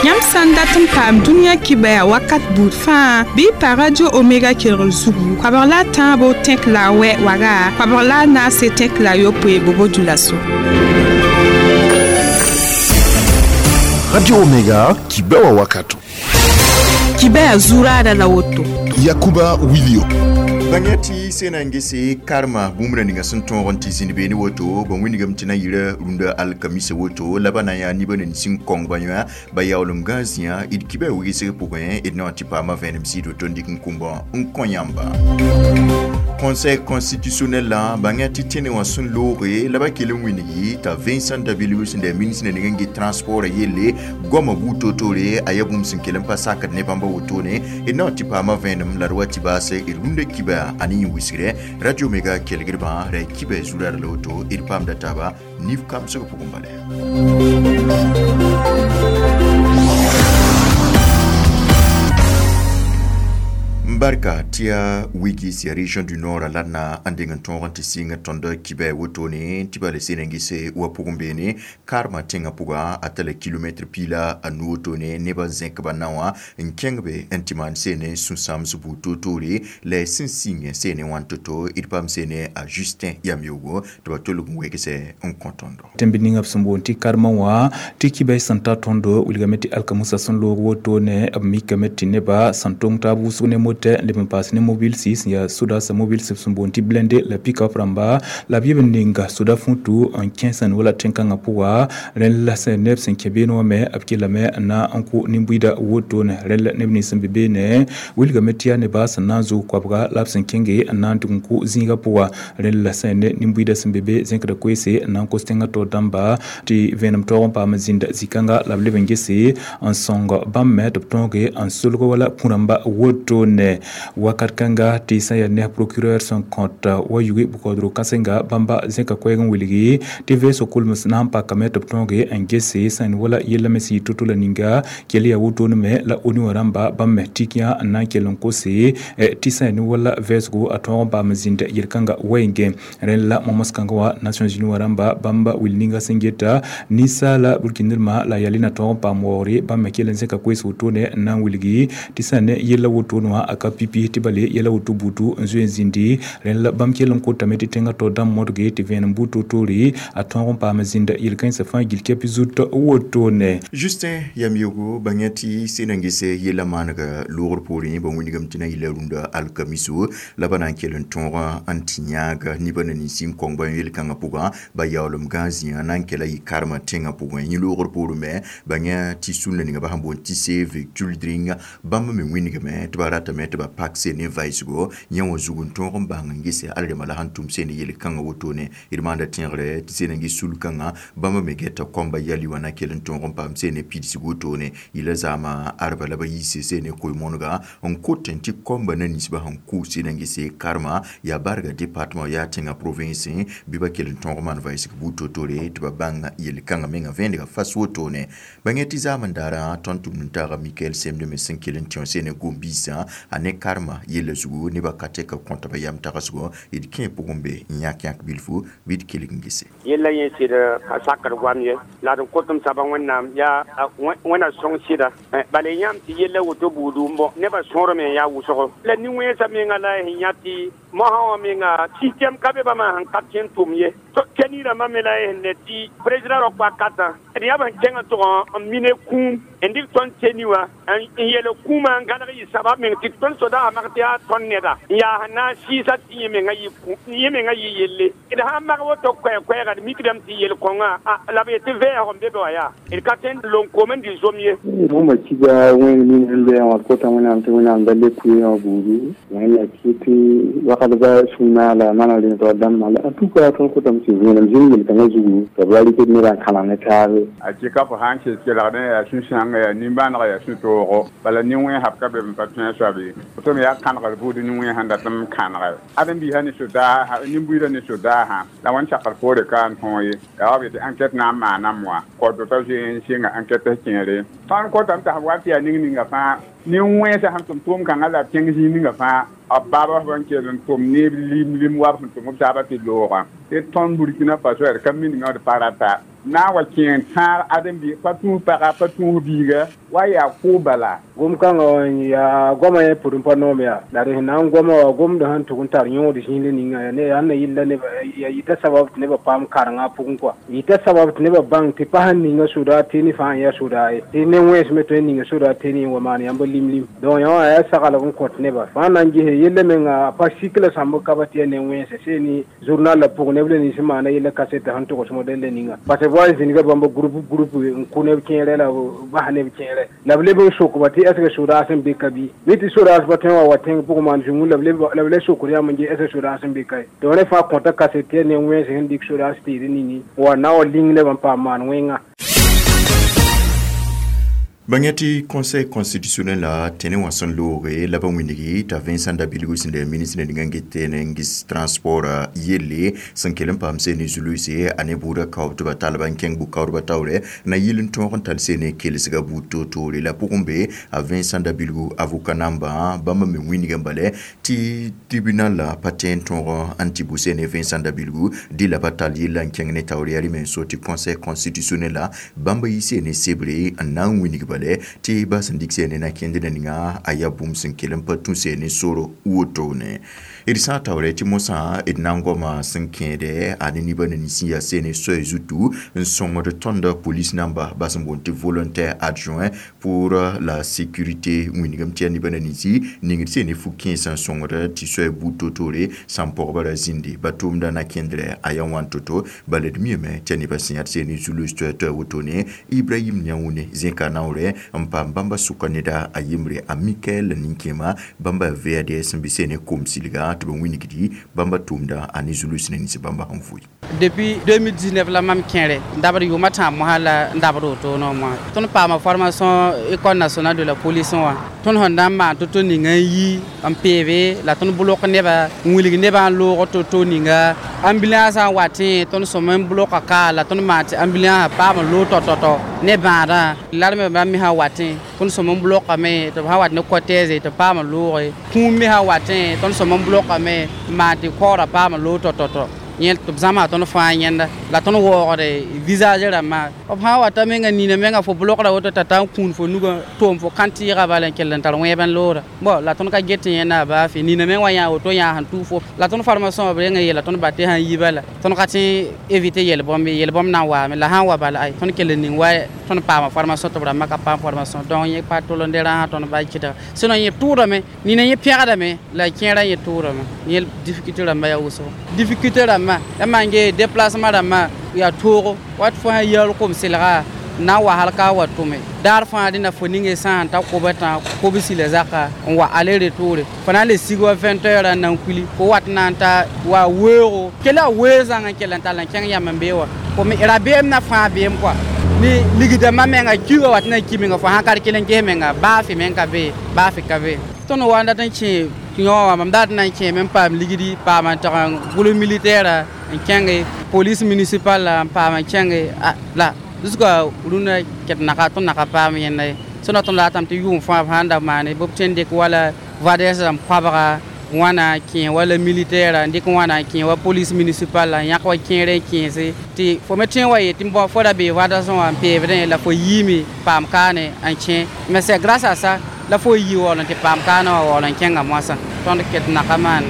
Yãmb sã n dat n paam dũniyã kibɛa wakat buud fãa bɩ pa Radio Omega kelgr zugu koabg la a tãabo tẽk la a wɛ waga koabg la a naase tẽk la a yopoe bobo dulaso. Radio Omega kibɛa wakato. Kibɛa zuraada la woto. Yakuba Wilio. Bãngya tɩ sena n gese karma bũmb ra ninga sẽn tõog n tɩ zĩnd beene woto bõn wingame tɩ na yɩra rũndã alkamisa woto la ba na n yaa nibã nin sẽn kõng ba yõ ba yaoolem gã zĩã d kibã wigsg pʋgẽ d na tɩ paama vẽenem sɩd woto n dɩk n kũmbã n kõ yãmba. Conseil constitutionnel la bãngya tɩ tẽne wã sẽn looge la ba kell n wingi t'a Vincent Dabilbs sẽn da ministre ning n get transport yelle goamã buud toor-toore a yaa bũmb sẽn kell n pa sakd ne bãmba wotone d na tɩ paama vẽenem la d wa tɩ baase d rũndã kibã a ne yẽ wisgre Radio Omega kelgdbã ra kibã zurad la woto d paamda taaba nif kamsg pʋgẽ bala. Barka tɩ yaa wigis ya région du nord la na n deng n tõog n tɩ sɩng tõnd kibɛ wotone tɩ bala sẽn n gese wa pʋgẽ beene karma tẽngã pʋga a tala kilomɛtr piila a nu wotone nebã zẽk ba na wã n kẽng be n tɩ maan seene sũ-sãams buud toor-toore la sẽn sĩng seene wãn to-to d paam seene a Justin Yamyogo tɩ ba tolg n wegse n kõ tõndo. Tẽmb ninga b sẽn boond tɩ karma wã tɩ kibɛ sẽn ta tõndo wilgame tɩ alkamusa sẽn loog wotone b mikame tɩ nebã sẽn tong taab wʋsg ne motɛ leb n paas ne mobile sɩs n yaa soda sã mobile sẽb sẽn boond tɩ blende la pick-up rãmba la b yeb n ninga soda fũtu n kẽes n wala tẽn-kãngã pʋga rẽnd la sẽn neb sẽn kẽ beene wã me b kellame n na n kʋ nin-buiida wotone rẽnd la neb nins sẽn be beene wilgame tɩ yaa nebã sẽn na n zʋg koabga la b sẽn kẽnge n na n tʋg n kʋ zĩigã pʋga rẽnd la sẽn ne nin-buiida sẽn be be zẽkda koeese n na n kos tẽngã taoor dãmba tɩ vẽenem taoog n paam n zĩnda zĩ-kãnga la b leb n gese n sõng bãmb me tɩ b tõoge n solg wala pũ-rãmba wotone wakat kãnga tɩ sã yaa neb procureur sẽn kõt wa yuge bʋkaoodg kãsenga bãmba zẽka koɛɛg n wilgi tɩ vɛɛsg kolms na n pakame tɩ b tõoge n gese sẽn wala yella me sẽn yɩ to-to la ninga kell yaa wotone me la ONU wã rãmba bãmb me tik yã n na n kell n kose tɩ sã ne wala vɛɛsgo a tõog n paam n zĩnd yel-kãnga wɛɛngẽ rẽnd la momos-kãngã wã Nations Unies wã rãmba bãmba wil ninga sẽn geta ninsaala burkindrmã la yalɩ na tõog n paam waoogre bãmb me kell n zẽka koees wotone n na n wilgi tɩ sã ne yella wotone wã a ka pipi tɩ bale yɛla woto butu n zoe n zĩndi rẽnd la bãmb kell n kotame tɩ tẽngã taoor dãmb modge tɩ vẽenem buud toor-toore a tõog n paam n zĩnda yel-kãensã fãa gill kɛp zut wotone. Justin Yamyogo bãngya tɩ sẽn n gese yella maanega loogr poorẽ ba wingame tɩ na yɩla rũndã alkamiso la ba na n kell n tõog n tɩ yãag nibã na nins n kõng ba yel-kãngã pʋgã ba yaoolem gã zĩã na n kela yɩ karma tẽngã pʋgẽ yẽ loogr poorẽ me bãngya tɩ sũnda ninga ba sẽn boond tɩ save children bãmb me wingame tɩ ba ratame tɩ ba pak sene vaɩsgo yẽ wã zug n tõog n bãng n gese alrema la sẽn tʋm sene yel-kãngã wotone d maanda tẽegre tɩ sẽn n ges sul-kãngã bãmb me geta kõmba yali wã na kell n tõog n paam sene pidsg wotone yɩla zaamã arba la ba yiise sene koe-moonega n kot n tɩ kõmba na ninsbã sẽn kʋ sẽn n gese karma yaa barga département yaa tẽngã province bɩ ba kell n tõog n maan vaɩsg buud toor-toore tɩ ba bãng yel-kãngã menga vẽenega fas wotone bãngya tɩ zaam n daara tõnd tʋmd n taaga Mikael Semde me sẽn kell n tẽ sene gom-biisã a ne karma yella zugu nebã ka tɛka kõta ba yam tagsgo d kẽ pʋgẽ be n yãk yãk bilfu bɩ d kelg n gese. Yella yẽ sɩd ka sakd goam ye la d n kotm saba Wẽnnaam yaa wẽna sõng sɩda bala yãmb tɩ yella woto buudu n bõ nebã sõorame n yaa wʋsgo la nin-wẽnsã menga la sẽn yã tɩ mosã wã menga système ka be bãmba sẽn ka tẽ n tʋm ye kɛ-niirãmbã me la sẽn ne tɩ président rao wakatã d yaa b sẽn kẽng n tʋg n mine kũum n dɩk tõnd teni wã n yeel kũumã n gãneg yɩ sabab meng tɩ tõnd soda mag tɩ yaa tõnd neda n yaa sẽn na n sɩɩsa tɩ yẽ menga yɩ yelle d sãn mag woto koɛɛ-koɛɛga d mikdame tɩ yel-kõngã la b yetɩ vɛɛsg n be be wã yaa d ka tõe n lon-koom n dɩ zom ye. Bũmba kiga wẽng ning sẽn loeẽ wã kota Wẽnnaam tɩ Wẽnnaam da le kʋɩ wã buudu wẽnna kɩ tɩ wakat ba sũ-maag la mana rẽnd dãmbã la en tout cas tõnd kotame tɩ vẽenem zĩnd yel-kãngã zugu tɩ b ra rɩkd nebã n kãlem ne taabe. A kɩka fo sã n kes kelgdẽ yaa sũ-sãanga yaa nimbãanega yaa sũ-toogo bala nin-wẽnsã b ka be n pa tõe a soab ye tɩ me yaa kãnegr buud nin-wẽnsã sẽn dat n kãnege ãdem-biisã ne sodaasã nin-buiidã ne sodaasã la wẽnd sakd poore ka n tõog ye yaa wa b yetɩ enquête na n maaname wã kaood t'a zoe n sɩnga enquête kẽere tõnd kotame tɩ sẽn wa tɩ yaa ning ninga fãa nin-wẽnsã sẽn tʋm tʋʋm-kãngã la b kẽng zĩig ninga fãa b baaba b kell n tʋm neb lim lim wa b sẽn tʋm b taabã tɩ loogã tɩ tõnd Burkina Faso yaa d ka miningã d pa rata Na wa kẽeng tãag ãdem-bi pa tũus paga pa tũus biiga wa yaa kʋʋ bala. Gom kãngã yaa goamã yẽ pʋd n pa noom yaa la d sẽn na n goama wã gomdã sẽn tʋg n tar yõod zĩig ninga yaa ne yaa na yilla nebã yaa yita sabab tɩ nebã paam karengã pʋgẽ kɔa yita sabab tɩ nebã bãng tɩ pa sẽn ninga soda tɩ ne fãa n yaa soda ye tɩ ne wẽns me tõe n ninga soda tɩ ne wa maan yãmb lim-lim donc yã wã yaa saglg n kõt nebã fãa na n gese yella menga a pa sik la sãmb ka pa tɩ yaa ne wẽnse see ne journal la pʋgẽ neb la nins n maana yella kaseta sẽn togs modɛl la ninga parce que wa zĩnga bãmba groupe groupe n kʋ neb kẽerɛ la bas neb kẽerɛ la b leb n sokba tɩ est ce que sodaas n be ka bɩ mi tɩ sodaas pa tõe n wa tẽng pʋgẽ maan zũngu la b le sokd yãmb n ge est ce que sodaas n be ka ye donc rẽ fãa kõta kaset tɩ yaa ne wẽns sẽn dɩk sodaas tɩɩd ningi wa na wa ling neb n paam maan wẽnga. Bãng tɩ conseil constitutionnel la tẽne wã sẽn looge la ba wĩndgi t'a Vincent Dabilgu sẽn da ministre ninga n get n gis transport yelle sẽn kell n paam seene zuluse a ne buudã kaoob tɩ ba talba n kẽng bʋ-kaoodbã taoorɛ na yɩl n tõog n tall seene kelsga buud toor-toore la pʋgẽ be a Vincent Dabilgu avocat nambã bãmb me wĩndgã bala tɩ tribunal la pa tẽ n tõog n tɩ bʋ seene Vincent Dabilgu dɩ la pa tall yella n kẽng ne taoor yaa rɩ me n so tɩ conseil constitutionnel la bãmb yɩ seene sebre n na n wĩndg bale tɩ ba sẽn dɩk seene na kẽnd ninga a yaa bũmb sẽn kell n pa tũ seene soro wotone d sã n taoore tɩ mosã d na n goama sẽn kẽede a ne nebã na nins n yaa seene soay zutu n sõngd tõnd police namba ba sẽn boond tɩ volontaire adjoint pour la sécurité wĩndgame tɩ yaa nebã na ninsi ningd seene fu-kẽensã n sõngd tɩ soay buud toor-toore sãn pɔgba ra zĩndi ba tʋʋmda na kẽndrɛ a yaa wãn to-to bala d miame tɩ yaa nebã sẽn yãd seene zulus toɛ-toɛ wotone Ibrahim Niaoune zẽka naoorɛ n paam bãmba sʋka neda a yembre a Mikael nin-kẽema bãmba VADS sẽn bɩ seene kom-silga tɩ b wĩnigdi bãmba tʋʋmda a ne zulus ne nins bãmba sẽn vʋɩ. Depuis 2019 la mam kẽere n dabd yʋʋmã tãab mosã la n dabd woto no moasã tõnd paama formation École nationale de la police wã tõnd sẽn na n maan to-to ninga n yi n peebe la tõnd bʋlg neba n wilg nebã n loog to-to ninga ambulance n watẽ tõnd sõm n bʋlga ka la tõnd maan tɩ ambulance paam n loog tɔ-tɔ-tɔ ne bãadã larme bãmb me sã watẽ tõnd sõm n bʋlgame tɩ b sã wat ne cortège tɩ paam n looge kũum me sã watẽ tõnd sõm n bʋlgame n maan tɩ kaoorã paam n loog tɔ-tɔ-tɔ yẽ tɩ b zãma tõnd fãa yẽnda la tõnd waoogde visage rãmbã b sã n wata menga nina menga fo bʋlgra woto t'a ta n kũun fo nugã toom fo kãn-tɩɩga bala n kell n tar wẽeb n loora bon la tõnd ka get yẽnda a baa fɩ nina meng wa yã woto yã sẽn tʋʋg fo la tõnd formation b reng n yeela tõnd ba tɩ sãn yi bala tõnd ka tẽ éviter yel-bõmb yel-bõmb na n waame la sã n wa bala ay tõnd kell n ning wa tõnd paama formation tɩ b rãmbã ka paam formation donc yẽ pa tol n de rãasã tõnd ba kɩtga sinon yẽ tʋʋdame nina yẽ pẽgdame la kẽerã yẽ tʋʋdame yẽ difficulté rãmbã yaa wʋsgo difficulté rãmbã ya maan ge déplacement rãmbã yaa toogo wat fo sã yaool kom-selga na n wa hal ka wa tʋme daar fãa dẽna fo ninge sã n ta koba tã kobsi la zaka n wa aller retour fo na n le sig wa 20 heures n na n kuili fo wat na n ta wa weoogo kela wee zãng n kell n tall n kẽng yam n bee wa fo me rabeem na fãa beem kɔa ni ligdãmbã menga kiuga wat na n ki menga fo sã ka d kell n ges menga baa fɩ meng ka bee baa fɩ ka bee tõnd wa n dat n kẽ yõ wã mam dat n na n kẽeme n paam ligdi paam n tag n gʋls militaire n kẽnge police municipale n paam n kẽnge la jusqu'à rũndã ket naka tõnd naka paam yẽnda ye sẽn tõnd ratame tɩ yʋʋm fãa b sãn da maane bɩ b tõe n dɩk wala vades rãmb koabga wãna kẽ wala militaire n dɩk wãna n kẽ wa police municipale n yãk wa kẽer n kẽese tɩ fo me tõe n wa yet tɩ fo ra bee vadasẽ wã n peebdẽ la fo yiime paam kaane n kẽ mais c'est grâce à ça la fo yi waool n tɩ paam kaanã wã waool n kẽnga moasã tõnd ket naka maane.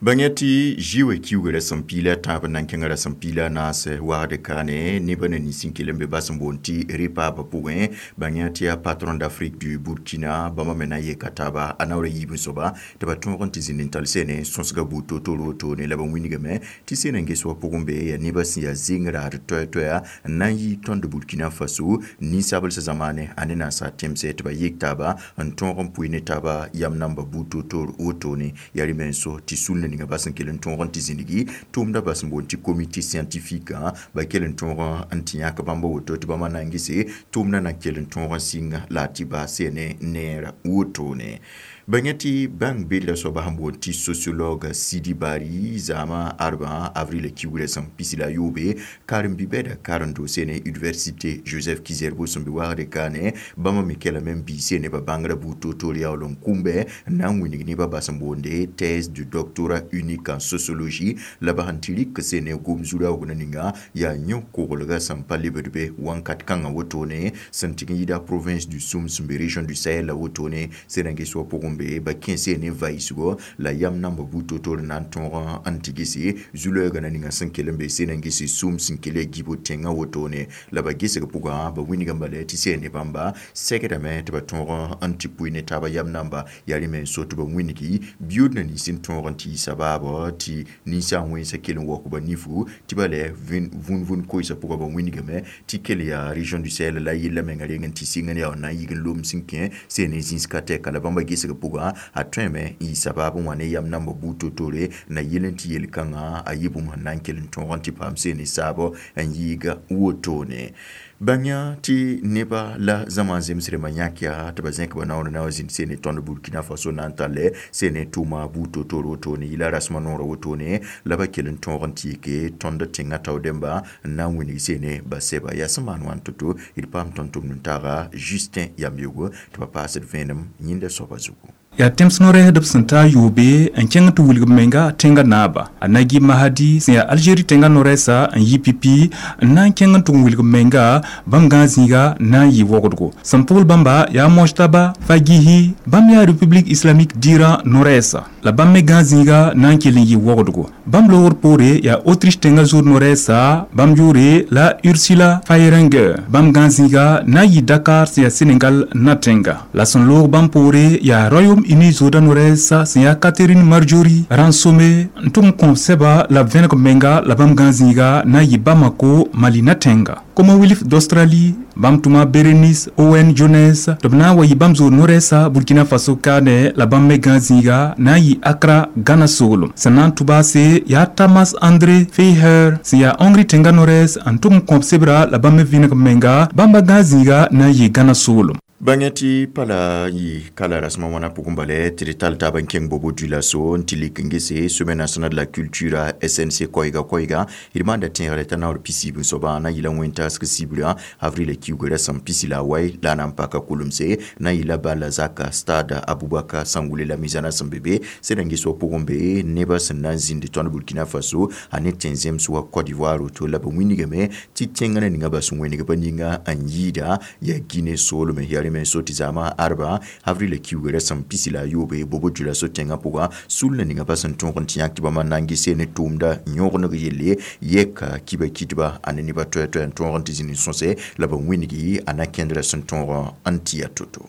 Bãng tɩ zɩ kiugrã sẽn piila tãab n na n kẽngã ra sẽn piila naas wagd kaane nebã na nins n kell n be bas n boond tɩ repab pʋgẽ bãng tɩ yaa patron d'Afrique du Burkina bãmba me na n yeka taaba a naoora yiib n soaba tɩ ba tõog n tɩ zĩnd n tall seene sõsga buud toor-toor wotone la ba wĩnigame tɩ seen n ges wa pʋgẽ be yaa nebã sẽn yaa zeng raad toɛ-toɛa n na n yi tõnd Burkina Faso ninsablsã zamaane a ne naasa tẽmsɛ tɩ ba yek taaba n tõog n pʋɩ ne taaba yam namba buud toor-toor wotone yaa rɩ menso tɩ sul ninga bas n kell n tõog n tɩ zĩndgi tʋʋmda bas n boond tɩ comité scientifique ba kell n tõog n tɩ yãk bãmba woto tɩ bãmba na n gese tʋʋmda na kell n tõog n sɩng la tɩ baas neer wotone. Bãng tɩ bãng be la soaba sẽn boond tɩ sociologue Sidi Bari zãama arba avril kiugrã sẽn pisi la yoobe karen-bi-bɛda karen-doose ne université Joseph Kizerbo sẽn be wagd kaane bãmba me kelame n biise nebã bãngrã buud toor-toor yaool n kũmbe n na n wilg nebã bas n boonde thèse du doctorat unique en sociologie la b sẽn tɩ rɩk sene gom zu-raoog na ninga yaa yõ-koglgã sẽn pa lebd be wãnkat kãngã wotone sẽn tɩg n yida province du Soum sẽn be région du Sahel la wotone sẽn-rãng-ges wã pʋgẽ be ba kẽse ne vaɩsgo la yam namba buud toor-toor n na n tõog n tɩgse zu-loɛɛgã na ninga sẽn kell n be sẽn-rãng-ges Soum sẽn kell ya gibo tẽngã wotone la ba gesg pʋgã ba wilgame bala tɩ sɛ ne bãmba segdame tɩ ba tõog n tɩ pʋɩ ne taaba yam namba yaa rẽ me n so tɩ ba wĩngi biyood na nins n tõog n tɩ yɩ sabaabɔ tɩ ninsã wẽnsã kell n waook ba nifu tɩ ba lɛ vũn-vũn koeesã pʋgã ba wĩngame tɩ kell yaa région du Sahel la yella menga reng n tɩ sɩng n yaa n na n yig n lom sẽn kẽ sẽn ne zĩis ka tɛka la bãmba gesg pʋgã a tõeme n yɩ sabaab n wa ne yam namba buud toor-toore na yel n tɩ yel-kãngã a yɩ bũmb sẽn na n kell n tõog n tɩ paam seen ne saabɔ n yɩɩga wotone. Bãng tɩ neba la zãma zemsrẽmbã yãk yaa tɩ ba zẽk ba naoor na wa zĩnd seen ne tõnd Burkina Faso na n tall seen ne tʋʋma buud toor-toor wotone yɩla rasmã noorã wotone la ba kell n tõog n tɩ yike tõnd tẽngã tao dẽmba n na n wilg seene basɛba yaa sẽn maan wãn to-to d paam tõnd tʋmd n taaga Justin Yamyogo tɩ ba paasd vẽenem yĩnda soaba zugu. Yaa tẽms no-rɛɛsdb sẽn taa yoobe n kẽng tɩ wilg menga tẽngã naaba a Nagui Mahadi sẽn yaa Algérie tẽngã no-rɛɛsa n yi pipi n na n kẽng n tʋg n wilg menga bãmb gãag zĩiga na n yɩ wogdgo sẽn pʋgl bãmba yaa Mojtaba Fagihi bãmb yaa République islamique d'Iran no-rɛɛsa la bãmb me gãag zĩiga na n kell n yɩ wogdgo bãmb loogr poore yaa Autriche tẽngã zood no-rɛɛsa bãmb yʋʋre la Ursula Fayeringer bãmb gãag zĩiga na n yɩ Dakar sẽn yaa Sénégal na tẽnga la sẽn loog bãmb poore yaa Royaume-Uni zooda no-rɛɛsa sẽn yaa Catherine Marjorie Ransome n tʋg n kõb sɛba la b vẽneg menga la bãmb gãag zĩiga na n yɩ Bamako Mali na tẽnga. Commonwealth d'Australie bãmb tʋma Berenice Owen Jones tɩ b na n wa yɩ bãmb zood no-rɛɛsa Burkina Faso kaane la bãmb me gãag zĩiga na n yɩ Accra Ghana soolem sẽn na n tʋbaase yaa Thomas André Feiher sẽn yaa Hongrie tẽngã no-rɛɛs n tʋg n kõb sebra la bãmb me vẽneg menga bãmba gãag zĩiga na n yɩ Ghana soolem. Bãng tɩ pala yɩ kala rasmã wãna pʋgẽ bala tɩ d tall taab n kẽng bobo dulaso n tɩ lik n gese Semaine nationale de la culture SNC koɛɛga d maanda tẽegre t'a naoor pisiib n soabã na n yɩla wẽn-taasg sibrã avril kiugrã sẽn pisi la a wai la a na n paka kolmse na n yɩla bala zaka stade Abubakar Sangoulé la mizana sẽn be be sẽd n ges wa pʋgẽ be nebã sẽn na n zĩnd tõnd Burkina Faso a ne tẽn-zems wa Côte d'Ivoire woto la b wĩnigame tɩ tẽngã na ninga bas wẽneg ba ninga n yɩɩda yaa Guinée soolme yaa rẽ me so tɩ zãama arba avril kiugrã sẽn pisi la a yoobe bobo dulaso tẽngã pʋga sul na ninga pa sẽn tõog n tɩ yãk tɩ bãmba n na n gese ne tʋʋmda yõgeneg yelle yɛka kiba kitba a ne nebã toɛ-toɛ n tõog n tɩ zĩnd n sõse la b wĩngi a na kẽndrã sẽn tõog n tɩ ya to-to.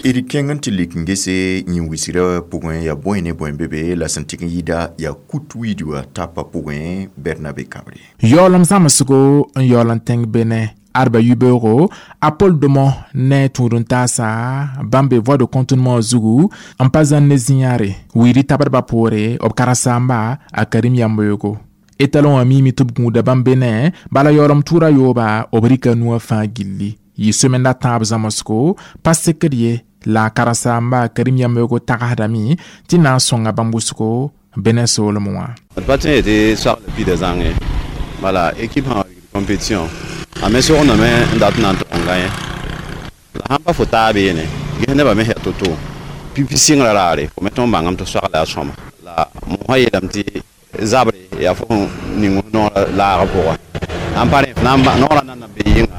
D kẽng n tɩ lik n gese yĩn-wisgrã pʋgẽ yaa bõe ne bõe be be la sẽn tɩg n yɩɩda yaa kut wiidwa tapa pʋgẽ Bernabe Kabre. Yaoolem zãmsgo n yaool n tẽng Benin arba yibeoogo a Paul Domo ne tũud n taasa bãmb be voie de contournement zugu n pa zãn ne zĩ-yãare wiid tabdbã poore b karen-saamba a Karim Yambeoogo étalon wã miime tɩ b gũuda bãmb Benin bala yaoolem tʋʋra yooba b rɩka nuwã fãa gilli yɩ semaine la tãab zãmsgo pa sekd ye la karen-saamba Karim Yambeoogo tagsdame tɩ na n sõnga bãmb wʋsgo Benin soolem wã. D pa tẽ tɩ soagl pida zãnge bala équipe sã compétition a me sogndame n dat n na n tog n gã yẽ la sãn pa fo taab yeene ges nebã me yaa to-to pipi sɩngrã raare fo me tõnd bãngame tɩ soagla yaa sõma la mosã yeelame tɩ zabre yaa fo sẽn ning noorã laagã pʋga n pa rẽ noorã nan na be yɩnga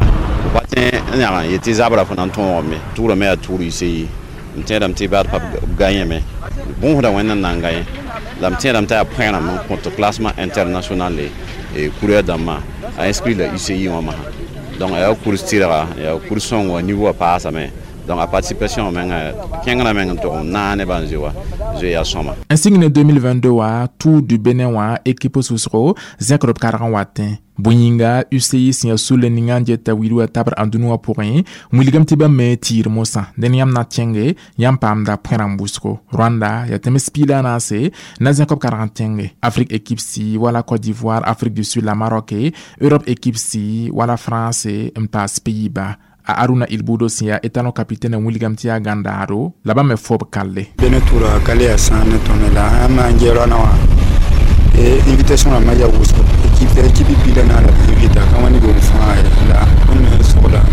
pa tẽ n yãg n yetɩ zabra fo na n tõogame tʋʋrame yaa tʋʋr yise yi m tẽedame tɩ baad pa b ga yẽme bõosda wẽnd n na n ga yẽ la m tẽedame t'a yaa põerãmb n kõt classement international coureur dãmbã a inscrit la UCI wã masã donc a yaa kurs tɩrga yaa kurs sõngo wã niveau wã paasame Donc a participation menga kẽngrã meng n tʋg n naag nebã n zoe wa zoe yaa sõma. N sɩng ne 2022 wã Tour du Benin wã équipe sʋsgo zẽkd b karg n watẽ bõe yĩnga UCI sẽn yaa sulle ninga n geta wilg wã tabr ãndũnã wã pʋgẽ wilgame tɩ bãmb me tɩɩr mosã dẽn yãmb na tẽnge yãmb paamda põe-rãmb wʋsgo. Rwanda yaa tẽms piig la a naase na zẽk b karg n tẽnge Afrique équipe si wala Côte d'Ivoire, Afrique du Sud la Maroc, Europe équipe si wala France n paas Pays-Bas. A Aruna Ilbudo sẽn yaa étalon capitaine n wilgame tɩ yaa gãndaado la bãmb me fob kalle. Bene tura kale ya sãn ne tõnd la sã n maan gɛɛrã wã invitation rãmbã yaa wʋsgo équipe pila na la invita ka wã ne bom fãa la tõnd me sogla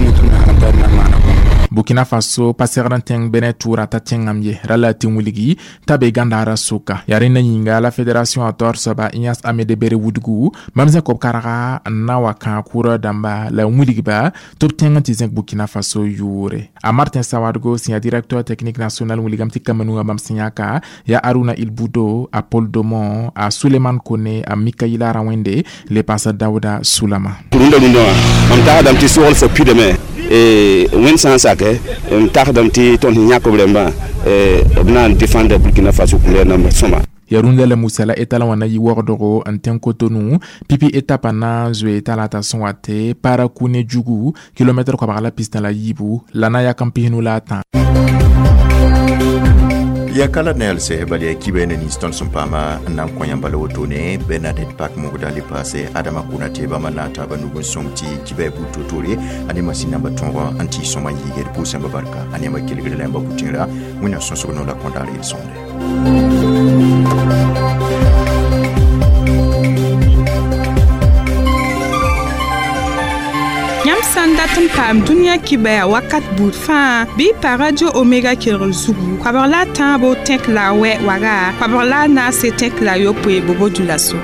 ne tõnd me sãn tar na maana bũmb. Burkina Faso pa segd n tẽng Benin tʋʋra t'a tẽngame ye ra la tɩ wilgi t'a be gãndaarã sʋka yaa rẽnda yĩnga la fédération a taoor soaba Ignace Amede Bere wudgu bãmb zẽk b karga n na wa kãag kʋʋrã dãmba la n wilgba tɩ b tẽng n tɩ zẽk Burkina Faso yʋʋre. A Martin Sawadgo sẽn yaa directeur technique national wilgame tɩ Cameroun bãmb sẽn yãka yaa Aruna Ilbudo, a Paul Domon, a Suleiman Kone, a Mikaïla Rawende le paasa Daouda Soulama. Rũndã rũndã wã mam tagsdame tɩ sogl fo pidame wẽnd sã n sake n tagsdame tɩ tõnd sẽn yãk b rãmbã b na n défendre Burkina Faso couleur namba sõma. Ya rũndã la musa la étalon wã na yɩ waoogdgo n tẽng Cotonou pipi étape na n zoe talata sẽn wa tɩ Parakou ne Djougou kilomɛtr koabg la pistã la yiibu la na yak n pisnu la a tã. Ya kala nelse bal ya kibe ne ni tõnd sẽn paama n na n kõ yãmba la wotone Bernadette Pak mogda le paase Adama Konate bãmba na n taaba nug n sõng tɩ kiba buud toor-toore a ne masin namba tõog n tɩ sõma n yiigd pʋʋs yãmba barka a ne yãmba kelgre la yãmba pʋtẽera wẽnnaam sõsg no la kõndaar yel-sõmde. Yãmb sã n dat n paam dũniyã kibɛa wakat buud fãa bɩ pa Radio Omega kelgr zugu koabg la a tãabo tẽk la a wɛ waga koabg la a naase tẽk la a yopoe bobo dula so.